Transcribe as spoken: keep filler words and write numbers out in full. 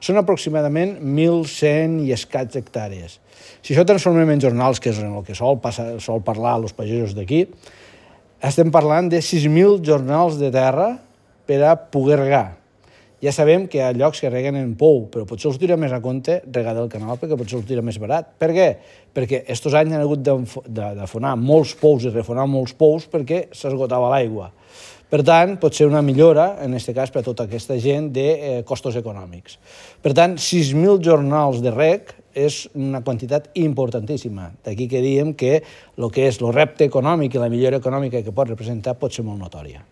Són aproximadament mil cent i escaig hectàrees. Si això transformem en jornals, que és en el que sol, passar, sol parlar els pagesos d'aquí, estem parlant de sis mil jornals de terra per a poder regar. Ja sabem que hi ha llocs que reguen en pou, però potser us tira més a compte regar del canal perquè potser us tira més barat. Per què? Perquè aquests anys han hagut d'afonar molts pous i refonar molts pous perquè s'esgotava l'aigua. Per tant, pot ser una millora, en aquest cas, per a tota aquesta gent, de costos econòmics. Per tant, sis mil jornals de reg és una quantitat importantíssima. D'aquí que diem que el que és el repte econòmic i la millora econòmica que pot representar pot ser molt notòria.